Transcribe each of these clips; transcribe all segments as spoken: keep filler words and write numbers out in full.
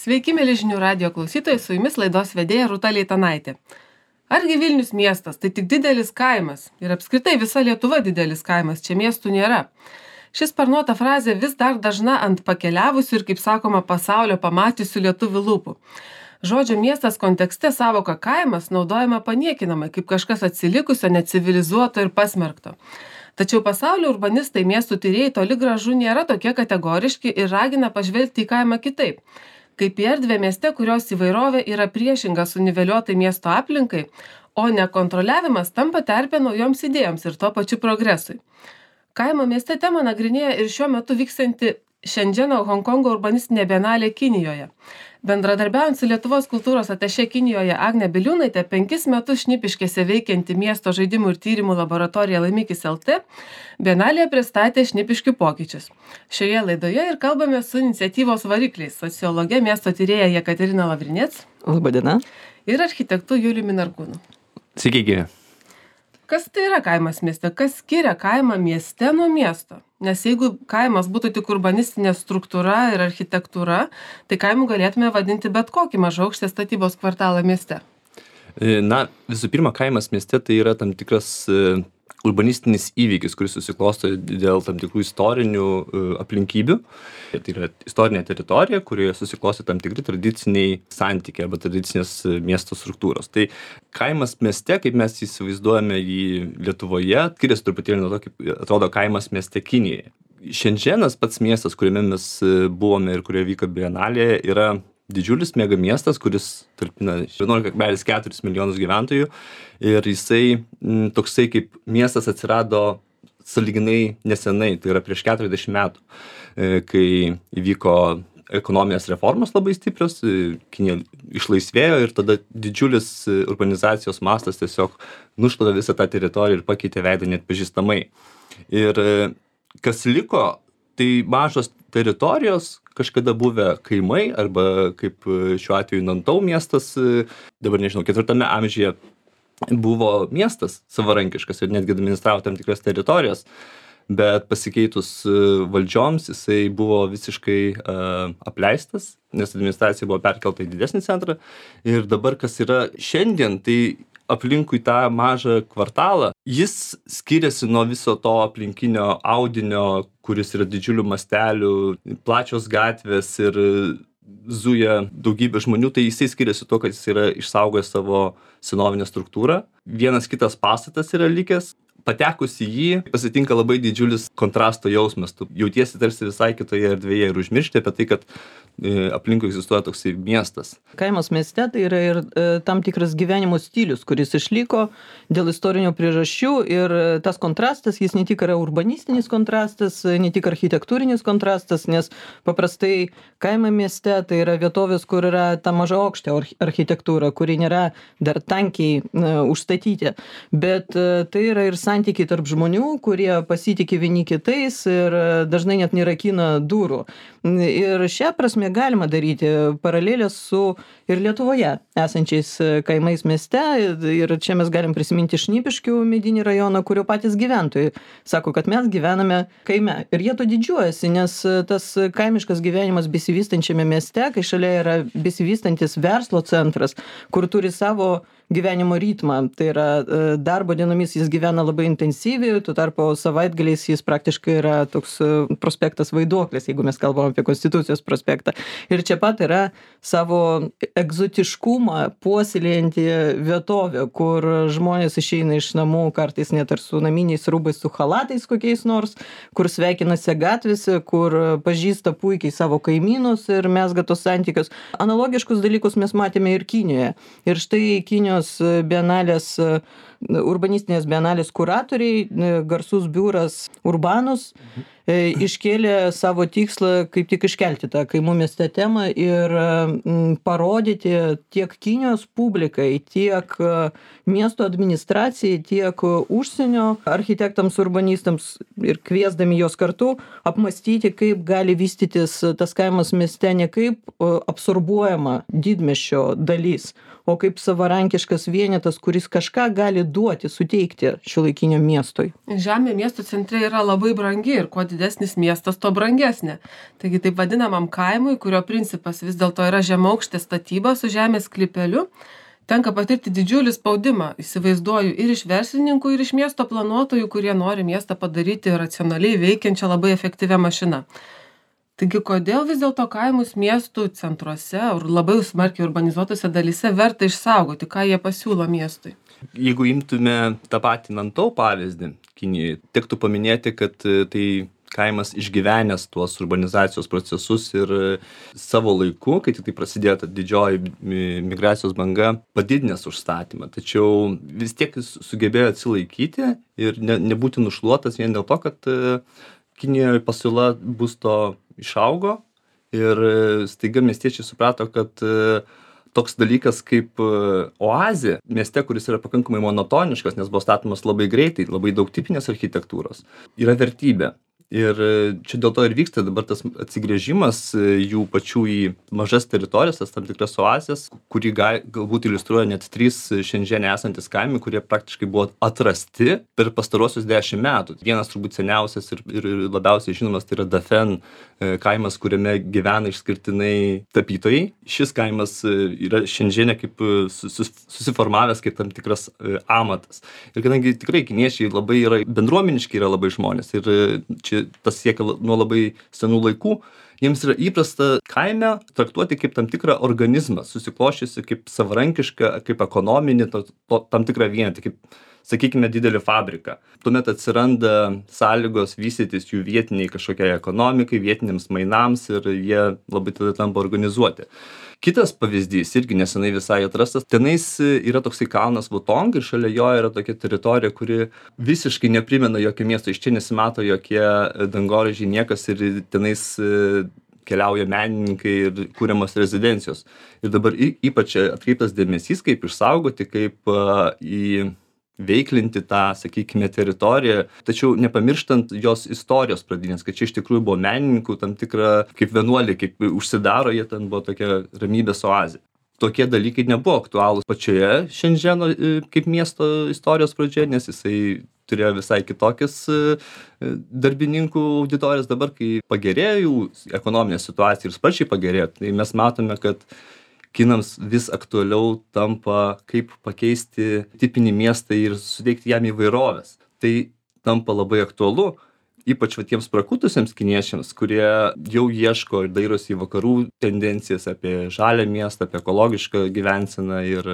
Sveiki, mėly žinių radijo klausytojai, su jumis laidos vedėja Rūta Leitanaitė. Argi Vilnius miestas, tai tik didelis kaimas ir apskritai visa Lietuva didelis kaimas, čia miestų nėra. Šis sparnuota frazė vis dar dažna ant pakeliavusių ir, kaip sakoma, pasaulio pamatysių lietuvių lūpų. Žodžio miestas kontekste savoka kaimas naudojama paniekinamai, kaip kažkas atsilikusio, necivilizuoto ir pasmerkto. Tačiau pasaulio urbanistai, miestų tyrėjai toli gražu nėra tokie kategoriški ir ragina pažvelgti į kaimą kitaip. Kaip į erdvę mieste, kurios įvairovė yra priešinga suniveliuotai miesto aplinkai, o nekontroliavimas tampa terpė naujoms idėjoms ir tuo pačiu progresui. Kaimo mieste temą nagrinėja ir šiuo metu vykstanti Šendženo Honkongo urbanistinė bienalė Kinijoje. Bendradarbiaujant su Lietuvos kultūros atašė Kinijoje Agne Biliūnaite, penkis metus Šnipiškėse veikianti miesto žaidimų ir tyrimų laboratorija Laimikis L T, bienalėje pristatė Šnipiškių pokyčius. Šioje laidoje ir kalbame su iniciatyvos varikliais, sociologe, miesto tyrėja Jekaterina Lavrinec. Labadiena. Ir architektu Juliumi Narkūnu. Sveiki, gyvi. Kas tai yra kaimas mieste? Kas skiria kaimą mieste nuo miesto? Nes jeigu kaimas būtų tik urbanistinė struktūra ir architektūra, tai kaimu galėtume vadinti bet kokį mažaaukštės statybos kvartalą mieste. Na, visų pirma, kaimas mieste tai yra tam tikras urbanistinis įvykis, kuris susiklosto dėl tam tikrų istorinių aplinkybių. Tai yra istorinė teritorija, kurioje susiklosto tam tikri tradiciniai santykiai arba tradicinės miesto struktūros. Tai kaimas mieste, kaip mes įsivaizduojame jį Lietuvoje, skiriasi truputėlį nuo to, kaip atrodo kaimas mieste Kinijoje. Šendženas pats miestas, kuriame mes buvome ir kurioje vyko bienalė, yra didžiulis mega miestas, kuris talpina vienuolika kablelis keturis milijonus gyventojų ir jisai m, toksai kaip miestas atsirado sąlyginai nesenai, tai yra prieš keturiasdešimt metų, e, kai įvyko ekonominės reformos labai stiprios, e, Kinija išlaisvėjo ir tada didžiulis urbanizacijos mastas tiesiog nušlavė visą tą teritoriją ir pakeitė veidą neatpažįstamai. Ir e, kas liko, tai mažos teritorijos, kažkada buvę kaimai, arba kaip šiuo atveju Nantau miestas, dabar nežinau, ketvirtame amžiuje buvo miestas savarankiškas ir netgi administravo tam tikras teritorijas, bet pasikeitus valdžioms jisai buvo visiškai uh, apleistas, nes administracija buvo perkelta į didesnį centrą ir dabar kas yra šiandien, tai aplinkui tą mažą kvartalą, jis skiriasi nuo viso to aplinkinio audinio, kuris yra didžiulių mastelių, plačios gatvės ir zuja daugybė žmonių, tai jisai skiriasi tuo, kad jis yra išsaugojęs savo senovinę struktūrą. Vienas kitas pastatas yra likęs. Patekus į jį pasitinka labai didžiulis kontrasto jausmas. Tu jautiesi tarsi visai kitoje erdvėje ir užmiršti apie tai, kad e, aplinkui egzistuoja toksai miestas. Kaimas mieste tai yra ir e, tam tikras gyvenimo stilius, kuris išliko dėl istorinių priežasčių ir e, tas kontrastas, jis ne tik yra urbanistinis kontrastas, ne tik architektūrinis kontrastas, nes paprastai kaimo mieste tai yra vietovės, kur yra ta maža aukštė architektūra, kuri nėra dar tankiai e, užstatyti, bet e, tai yra ir santykiai tarp žmonių, kurie pasitikė vieni kitais ir dažnai net nerakina durų. Ir šią prasme galima daryti paralelės su ir Lietuvoje esančiais kaimais mieste. Ir čia mes galim prisiminti Šnipiškių medinį rajoną, kurio patys gyventojai sako, kad mes gyvename kaime. Ir jie to didžiuojasi, nes tas kaimiškas gyvenimas besivystančiame mieste, kai šalia yra besivystantis verslo centras, kur turi savo gyvenimo ritmą. Tai yra darbo dienomis jis gyvena labai intensyviai, tuo tarpu savaitgaliais jis praktiškai yra toks prospektas Vaiduoklis, jeigu mes kalbam apie Konstitucijos prospektą. Ir čia pat yra savo egzotiškumą puoselėjanti vietovė, kur žmonės išeina iš namų kartais net ir su naminiais rūbais, su chalatais kokiais nors, kur sveikinasi gatvėse, kur pažįsta puikiai savo kaimynus ir mezga tos santykius. Analogiškus dalykus mes matėme ir Kinijoje. Ir štai Kinijos bienalės, urbanistinės bienalės kuratoriai, garsus biuras Urbanus, iškėlė savo tikslą kaip tik iškelti tą kaimų mieste temą ir parodyti tiek Kinijos publikai, tiek miesto administracijai, tiek užsienio architektams, urbanistams ir kviesdami juos kartu apmąstyti, kaip gali vystytis tas kaimas mieste ne kaip absorbuojama didmiesčio dalis, o kaip savarankiškas vienetas, kuris kažką gali duoti, suteikti šiuolaikiniam miestui. Žemė miesto centre yra labai brangi ir kuo didesnis miestas, tuo brangesnė. Taigi taip vadinamam kaimui, kurio principas vis dėlto yra žemaukštė statyba su žemės sklypeliu, tenka patirti didžiulį spaudimą, įsivaizduoju, ir iš verslininkų, ir iš miesto planuotojų, kurie nori miestą padaryti racionaliai veikiančią labai efektyvią mašiną. Taigi, kodėl vis dėlto kaimus miestų centruose ir labai smarkiai urbanizuotose dalyse verta išsaugoti, ką jie pasiūlo miestui? Jeigu imtume tą patį Nantau pavyzdį Kinijoje, tektų paminėti, kad tai kaimas išgyvenęs tuos urbanizacijos procesus ir savo laiku, kai tik tai prasidėjo ta didžioji migracijos banga, padidinęs užstatymą. Tačiau vis tiek jis sugebėjo atsilaikyti ir ne, nebūti nušluotas vien dėl to, kad Kinijoje pasiūla būsto išaugo ir staiga miestiečiai suprato, kad toks dalykas kaip oazė mieste, kuris yra pakankamai monotoniškas, nes buvo statomas labai greitai, labai daug tipinės architektūros, yra vertybė. Ir čia dėl to ir vyksta dabar tas atsigręžimas jų pačių į mažas teritorijas, tas tam tikras oazės, kurį gal, galbūt iliustruoja net trys Šenžene esantis kaimai, kurie praktiškai buvo atrasti per pastarosius dešimt metų. Vienas turbūt seniausias ir, ir labiausiai žinomas tai yra Dafen kaimas, kuriame gyvena išskirtinai tapytojai. Šis kaimas yra Šenžene kaip susiformavęs kaip tam tikras amatas. Ir kadangi tikrai kiniečiai labai yra bendruomeniški, yra labai žmonės ir čia tas siekia nuo labai senų laikų, jiems yra įprasta kaime traktuoti kaip tam tikrą organizmą, susikloščiusi kaip savarankišką, kaip ekonominį, to, to, tam tikrą vienetą, kaip, sakykime, didelį fabriką. Tuomet atsiranda sąlygos vystytis jų vietiniai kažkokiai ekonomikai, vietiniams mainams ir jie labai tada tampa organizuoti. Kitas pavyzdys, irgi nesenai visai atrastas, tenais yra toksai kalnas Vutong ir šalia jo yra tokia teritorija, kuri visiškai neprimena jokio miesto, iš čia nesimato jokie dangoraižiai, niekas ir tenais keliauja menininkai ir kūriamos rezidencijos. Ir dabar ypač atkreiptas dėmesys, kaip išsaugoti, kaip į veiklinti tą, sakykime, teritoriją, tačiau nepamirštant jos istorijos pradinės, kad čia iš tikrųjų buvo menininkų tam tikra, kaip vienuoliai, kaip užsidaro, jie ten buvo tokia ramybės oazė. Tokie dalykai nebuvo aktualūs pačioje Šenženo kaip miesto istorijos pradžioje, nes jisai turėjo visai kitokias darbininkų auditorijas. Dabar, kai pagerėjo jų ekonominė situacija ir sparčiai pagerėjo, tai mes matome, kad kinams vis aktualiau tampa, kaip pakeisti tipinį miestą ir suteikti jam įvairovės. Tai tampa labai aktualu, ypač va tiems prakutusiems kiniečiams, kurie jau ieško ir dairosi į vakarų tendencijas apie žalią miestą, apie ekologišką gyvenseną ir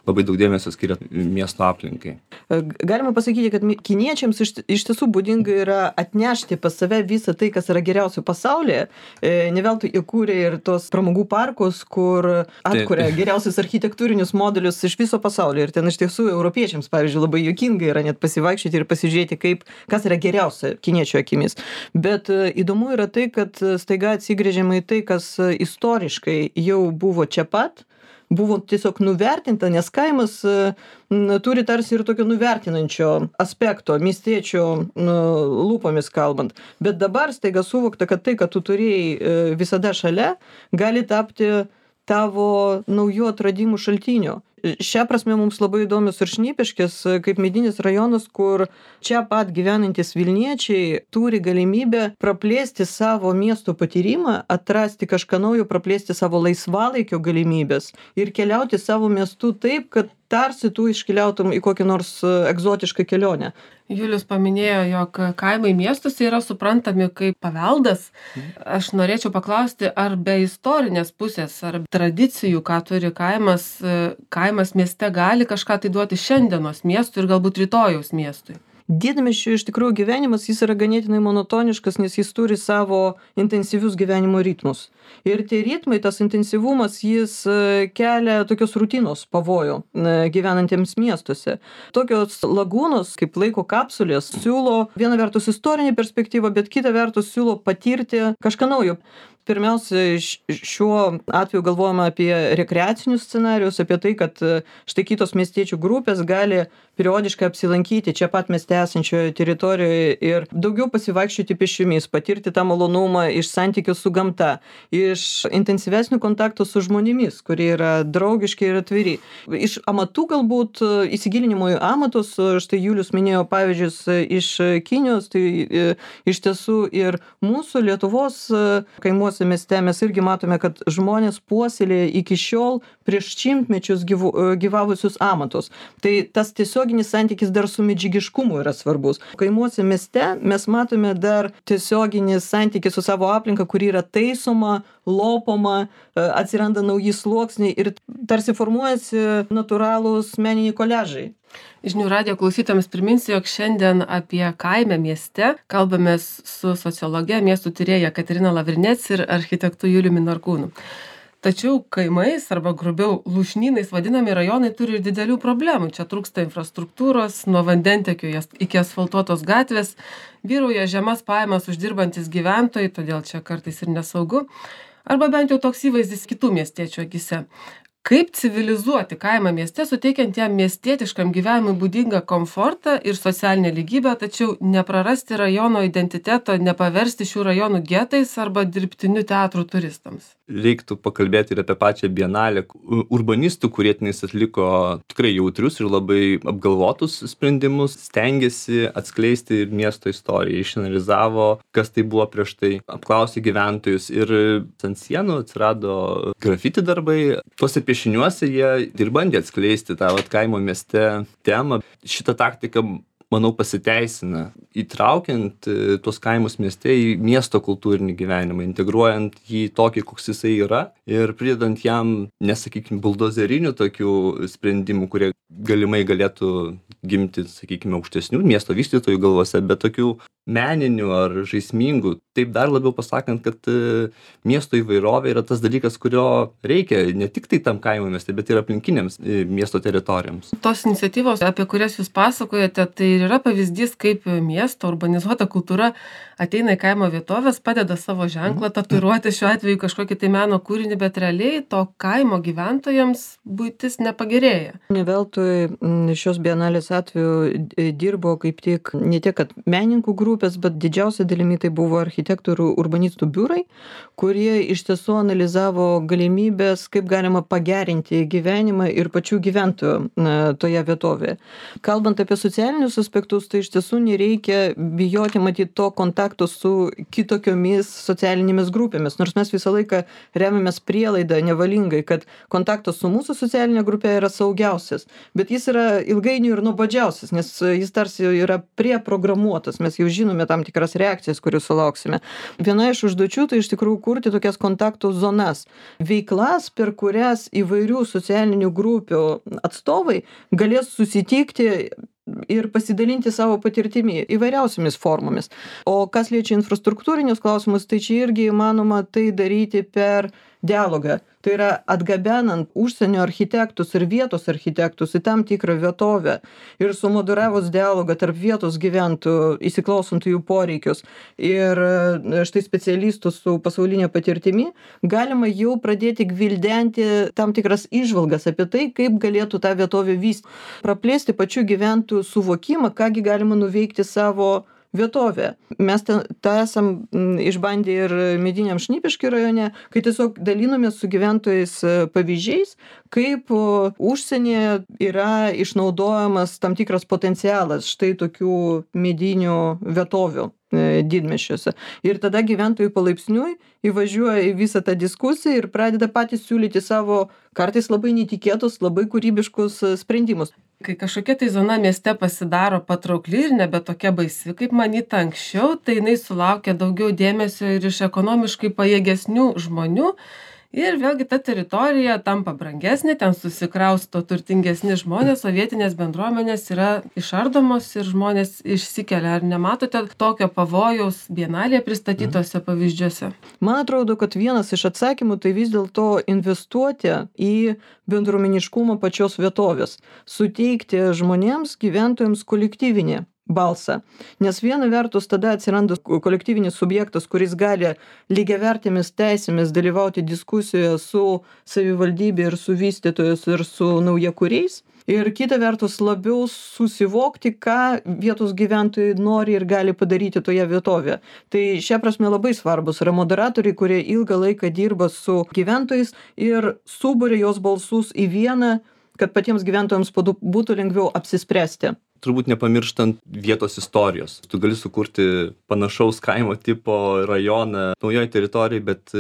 labai daug dėmesio skiria miesto aplinkai. Galima pasakyti, kad kiniečiams iš, iš tiesų būdinga yra atnešti pas save visą tai, kas yra geriausio pasaulyje. Ne veltui įkūrė ir tos pramogų parkus, kur atkuria geriausius architektūrinius modelius iš viso pasaulio. Ir ten iš tiesų europiečiams, pavyzdžiui, labai juokinga yra net pasivaikščioti ir pasižiūrėti, kaip, kas yra geriausia kiniečių akimis. Bet įdomu yra tai, kad staiga atsigręžiama į tai, kas istoriškai jau buvo čia pat, buvo tiesiog nuvertinta, nes kaimas n, turi tarsi ir tokio nuvertinančio aspekto, miestiečio n, lūpomis kalbant. Bet dabar staiga suvokta, kad tai, kad tu turėjai visada šalia, gali tapti tavo naujų atradimų šaltiniu. Šią prasme mums labai įdomios ir Šnipiškės, kaip medinis rajonas, kur čia pat gyvenantys Vilniečiai turi galimybę praplėsti savo miesto patyrimą, atrasti kažką naujo, praplėsti savo laisvalaikio galimybės ir keliauti savo miestu taip, kad tarsi tu iškeliautum į kokį nors egzotišką kelionę. Julius paminėjo, jog kaimai miestuose yra suprantami kaip paveldas. Aš norėčiau paklausti, ar be istorinės pusės, ar tradicijų, ką turi kaimas, kaimas mieste gali kažką tai duoti šiandienos miestui ir galbūt rytojaus miestui? Didmiesčių iš tikrųjų gyvenimas jis yra ganėtinai monotoniškas, nes jis turi savo intensyvius gyvenimo ritmus. Ir tie ritmai, tas intensyvumas, jis kelia tokios rutinos pavojų gyvenantiems miestuose. Tokios lagūnos, kaip laiko kapsulės, siūlo viena vertus istorinį perspektyvą, bet kita vertus siūlo patirti kažką naujo. pirmiausia, šiuo atveju galvojame apie rekreacinius scenarius, apie tai, kad štai kitos miestiečių grupės gali periodiškai apsilankyti čia pat mieste esančioje teritorijoje ir daugiau pasivaikščioti pėsčiomis, patirti tą malonumą iš santykių su gamta, iš intensyvesnių kontaktų su žmonėmis, kurie yra draugiški ir atviri. Iš amatų galbūt įsigilinimo į amatus, štai Julius minėjo pavyzdžius iš Kinijos, tai iš tiesų ir mūsų Lietuvos kaimuose mieste mes irgi matome, kad žmonės puoselėja iki šiol prieš šimtmečius gyvu, gyvavusius amatus. Tai tas tiesioginis santykis dar su medžiagiškumu yra svarbus. Kaimuose mieste mes matome dar tiesioginį santykį su savo aplinka, kuri yra taisoma, lopoma, atsiranda nauji sluoksniai ir tarsi formuojasi natūralūs meniniai koliažai. Žinių radijo klausytojams priminsiu, jog šiandien apie kaimą mieste kalbamės su sociologe, miestų tyrėja Katerina Lavrinec ir architektu Juliumi Narkūnu. Tačiau kaimais arba grubiau lūšnynais vadinami rajonai turi ir didelių problemų. Čia trūksta infrastruktūros, nuo vandentekio iki asfaltuotos gatvės, vyrauja žemas pajamas uždirbantis gyventojai, todėl čia kartais ir nesaugu, arba bent jau toks įvaizdis kitų miestiečių akise. Kaip civilizuoti kaimą mieste, suteikiant jam miestietiškam gyvenimui būdingą komfortą ir socialinę lygybę, tačiau neprarasti rajono identiteto, nepaversti šių rajonų getais arba dirbtiniu teatru turistams? Reiktų pakalbėti ir apie pačią bienalę. Urbanistų, kurie tenais atliko tikrai jautrius ir labai apgalvotus sprendimus, stengiasi atskleisti ir miesto istoriją, išanalizavo, kas tai buvo prieš tai, apklausė gyventojus ir ant sienų atsirado grafiti darbai. Tuose piešiniuose jie ir bandė atskleisti tą vat, kaimo mieste temą. Šitą taktiką, manau, pasiteisina, įtraukiant tuos kaimus mieste į miesto kultūrinį gyvenimą, integruojant jį tokį, koks jisai yra ir pridedant jam, nesakykime, buldozerinių tokių sprendimų, kurie galimai galėtų gimti, sakykime, aukštesnių miesto vystytojų galvose, bet tokių meninių ar žaismingų. Taip dar labiau pasakant, kad miesto įvairovė yra tas dalykas, kurio reikia ne tik tai tam kaimo mieste, bet ir aplinkiniams miesto teritorijoms. Tos iniciatyvos, apie kurias jūs pasakojate, tai yra pavyzdys, kaip miesto urbanizuota kultūra ateina į kaimo vietovės, padeda savo ženklą tatuiruoti šiuo atveju kažkokį tai meno kūrinį, bet realiai to kaimo gyventojams buitis nepagerėja. Ne veltui šios bienalės atveju dirbo kaip tik ne tiek, kad menininkų grupės, bet didžiausia dalimi tai buvo architektų ir urbanistų biurai, kurie iš tiesų analizavo galimybės, kaip galima pagerinti gyvenimą ir pačių gyventojų toje vietovėje. Kalbant apie socialinius aspektus, tai iš tiesų nereikia bijoti matyti to kontakto su kitokiomis socialinėmis grupėmis, nors mes visą laiką remiamės prielaidą nevalingai, kad kontaktas su mūsų socialinė grupė yra saugiausias, bet jis yra ilgainiui ir nuobodžiausias, nes jis tarsi yra preprogramuotas, mes jau žinome tam tikras reakcijas, kurių sulauksime. Viena iš užduočių tai iš tikrųjų kurti tokias kontaktų zonas, veiklas, per kurias įvairių socialinių grupių atstovai galės susitikti ir pasidalinti savo patirtimi įvairiausiamis formomis. O kas liečia infrastruktūrinius klausimus, tai čia irgi įmanoma tai daryti per dialogą. Tai yra atgabenant užsienio architektus ir vietos architektus į tam tikrą vietovę ir sumoderavus dialogą tarp vietos gyventojų, įsiklausant jų poreikius ir štai specialistų su pasaulinė patirtimi, galima jau pradėti gvildenti tam tikras įžvalgas apie tai, kaip galėtų tą vietovę vystyti. Praplėsti pačių gyventojų suvokimą, kągi galima nuveikti savo vietovė. Mes tą esam išbandę ir Mediniam Šnipiškių rajone, kai tiesiog dalinomės su gyventojais pavyzdžiais, kaip užsienyje yra išnaudojamas tam tikras potencialas štai tokių medinių vietovių didmiesčiuose. Ir tada gyventojai palaipsniui įvažiuoja į visą tą diskusiją ir pradeda patys siūlyti savo kartais labai netikėtus, labai kūrybiškus sprendimus. Kai kažkokia tai zona mieste pasidaro patraukli ir nebe tokia baisi, kaip manyta anksčiau, tai jinai sulaukia daugiau dėmesio ir iš ekonomiškai pajėgesnių žmonių. Ir vėlgi ta teritorija tampa brangesnė, ten susikrausto turtingesni žmonės, o vietinės bendruomenės yra išardomos ir žmonės išsikelia. Ar nematote tokio pavojaus bienalėje pristatytose pavyzdžiuose? Man atrodo, kad vienas iš atsakymų tai vis dėlto investuoti į bendruomeniškumą pačios vietovės, suteikti žmonėms, gyventojams kolektyvinį balsą. Nes viena vertus tada atsiranda kolektyvinis subjektas, kuris gali lygiavertėmis teisėmis dalyvauti diskusijoje su savivaldybė ir su vystytojais ir su naujakuriais. Ir kita vertus labiau susivokti, ką vietos gyventojai nori ir gali padaryti toje vietovėje. Tai šia prasme labai svarbus yra moderatoriai, kurie ilgą laiką dirba su gyventojais ir suburia jos balsus į vieną, kad patiems gyventojams būtų lengviau apsispręsti. Turbūt nepamirštant vietos istorijos. Tu gali sukurti panašaus kaimo tipo rajoną naujoje teritorijoje, bet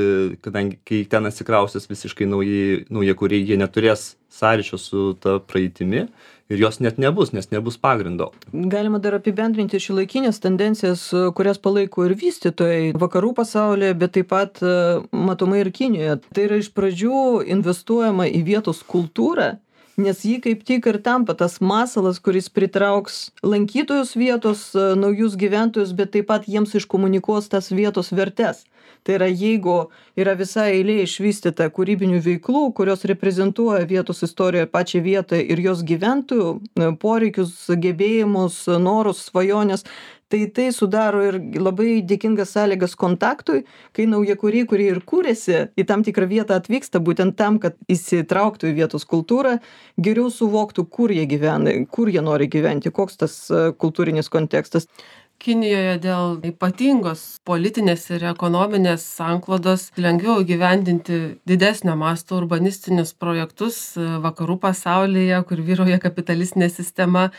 kadangi kai ten atsikraustys visiškai nauji, naujakuriai, jie neturės sąryšio su ta praeitimi ir jos net nebus, nes nebus pagrindo. Galima dar apibendrinti šiuolaikinės tendencijas, kurias palaiko ir vystytojai vakarų pasaulyje, bet taip pat matomai ir Kinijoje. Tai yra iš pradžių investuojama į vietos kultūrą, nes ji kaip tik ir tampa tas masalas, kuris pritrauks lankytojus vietos, naujus gyventojus, bet taip pat jiems iškomunikuos tas vietos vertes. Tai yra, jeigu yra visa eilė išvystyta kūrybinių veiklų, kurios reprezentuoja vietos istoriją pačią vietą ir jos gyventojų poreikius, gebėjimus, norus, svajonės, tai tai sudaro ir labai dėkingas sąlygas kontaktui, kai naujakuriai, kurie ir kūrėsi į tam tikrą vietą, atvyksta būtent tam, kad įsitrauktų į vietos kultūrą, geriau suvoktų, kur jie gyvena, kur jie nori gyventi, koks tas kultūrinis kontekstas. Kinijoje dėl ypatingos politinės ir ekonominės sanklodos lengviau įgyvendinti didesnio masto urbanistinius projektus vakarų pasaulyje, kur vyrauja kapitalistinė sistema.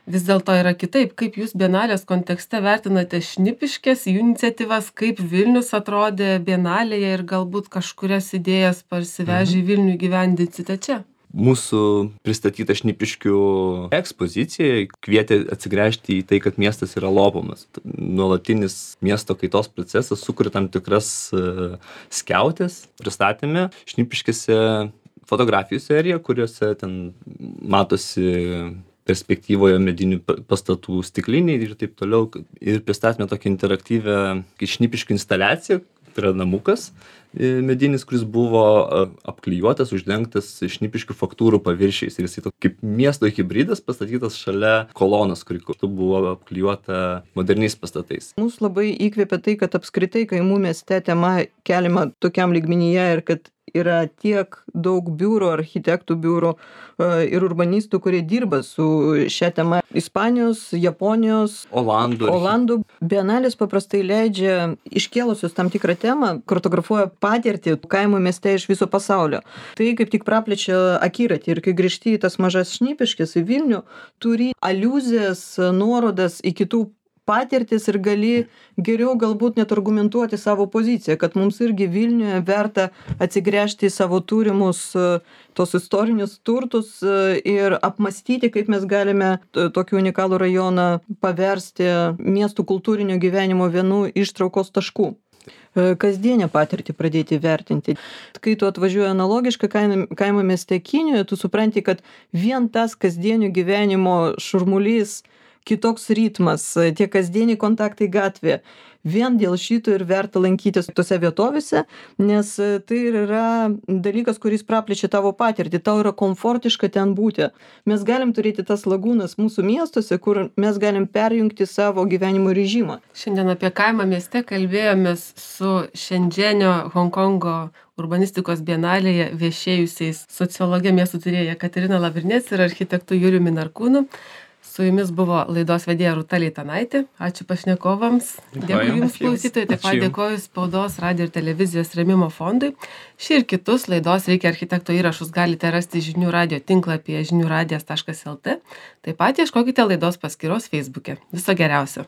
Vis dėlto yra kitaip. Kaip jūs Bienalės kontekste vertinate Šnipiškės, jų iniciatyvas, kaip Vilnius atrodė Bienalėje ir galbūt kažkurias idėjas parsivežę į Vilnių įgyvendinsite čia? Mūsų pristatyta Šnipiškių ekspozicija kvietė atsigręžti į tai, kad miestas yra lopomas. Nuolatinis miesto kaitos procesas sukuria tam tikras skiautės. Pristatėme Šnipiškėse fotografijų seriją, kuriuose ten matosi perspektyvoje medinių pastatų stikliniai ir taip toliau. Ir pristatėme tokią interaktyvę Šnipiškių instaliaciją, tai yra namukas medinis, kuris buvo apklijuotas, uždengtas Šnipiškių faktūrų paviršiais. Ir jisai toks kaip miesto hibridas pastatytas šalia kolonos, kuri kartu buvo apklijuota moderniais pastatais. Mūsų labai įkvėpia tai, kad apskritai kaimų mieste tema keliama tokiam lygmenyje ir kad yra tiek daug biurų, architektų biurų ir urbanistų, kurie dirba su šia tema. Ispanijos, Japonijos, Olandų. Olandų. Bienalės paprastai leidžia iškėlusius tam tikrą temą, kartografuoja patirtį kaimo mieste iš viso pasaulio. Tai kaip tik praplečia akiratį ir kai grįžti į tas mažas Šnipiškes į Vilnių, turi aliuzijas, nuorodas į kitų patirtis ir gali geriau galbūt net argumentuoti savo poziciją, kad mums irgi Vilniuje verta atsigręžti į savo turimus tos istorinius turtus ir apmastyti, kaip mes galime tokį unikalų rajoną paversti miestų kultūrinio gyvenimo vienu ištraukos taškų. Kasdienę patirtį pradėti vertinti. Kai tu atvažiuoji analogiškai kaimo mieste Kinijoje, tu supranti, kad vien tas kasdienio gyvenimo šurmulys, kitoks ritmas, tie kasdieniai kontaktai gatvėje. Vien dėl šito ir verta lankytis tose vietovėse, nes tai yra dalykas, kuris praplečia tavo patirtį, tau yra komfortiška ten būti. Mes galim turėti tas lagūnas mūsų miestuose, kur mes galim perjungti savo gyvenimo režimą. Šiandien apie kaimą mieste kalbėjomės su Šendženio Honkongo urbanistikos bienalėje viešėjusiais sociologė miestų tyrėja Katerina Lavrinec ir architektu Juliumi Narkūnu. Su jumis buvo laidos vedėja Rūta Leitanaitė. Ačiū pašnekovams. Dėkui jums klausytojai. Taip pat dėkoju Spaudos, radijo ir televizijos rėmimo fondui. Šį ir kitus laidos Reikia architekto įrašus galite rasti žinių radijo tinklapyje žinių radijas taškas lt. Taip pat ieškokite laidos paskyros Facebook'e. Viso geriausio.